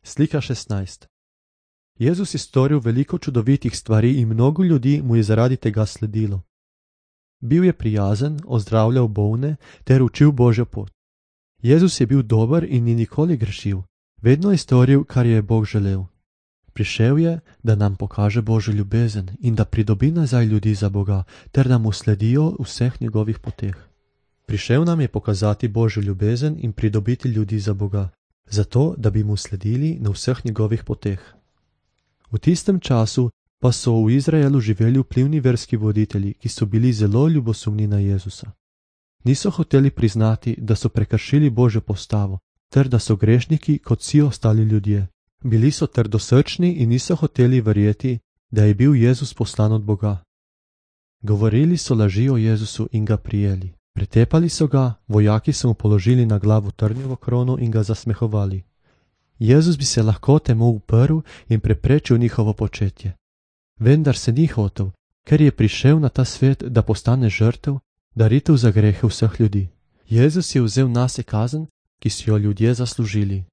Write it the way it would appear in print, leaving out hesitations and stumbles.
Slika 16. Jezus je storil veliko čudovitih stvari in mnogo ljudi mu je zaradi tega sledilo. Bil je prijazen, ozdravljal bolne ter učil Božjo pot. Jezus je bil dober in ni nikoli grešil. Vedno je storil, kar je Bog želel. Prišel je, da nam pokaže Božjo ljubezen in da pridobi nazaj ljudi za Boga, ter da mu sledijo v vseh njegovih poteh. Prišel nam je pokazati Božjo ljubezen in pridobiti ljudi za Boga, zato da bi mu sledili na vseh njegovih poteh. V tistem času pa so v Izraelu živeli vplivni verski voditelji, ki so bili zelo ljubosumni na Jezusa. Niso hoteli priznati, da so prekršili Božjo postavo, ter da so grešniki kot vsi ostali ljudje. Bili so trdosrčni in niso hoteli verjeti, da je bil Jezus poslan od Boga. Govorili so laži o Jezusu in ga prijeli. Pretepali so ga, vojaki so mu položili na glavo trnjevo krono in ga zasmehovali. Jezus bi se lahko temu uprl in preprečil njihovo početje. Vendar se ni hotel, ker je prišel na ta svet, da postane žrtev, daritev za grehe vseh ljudi. Jezus je vzel nase kazen, ki so jo ljudje zaslužili.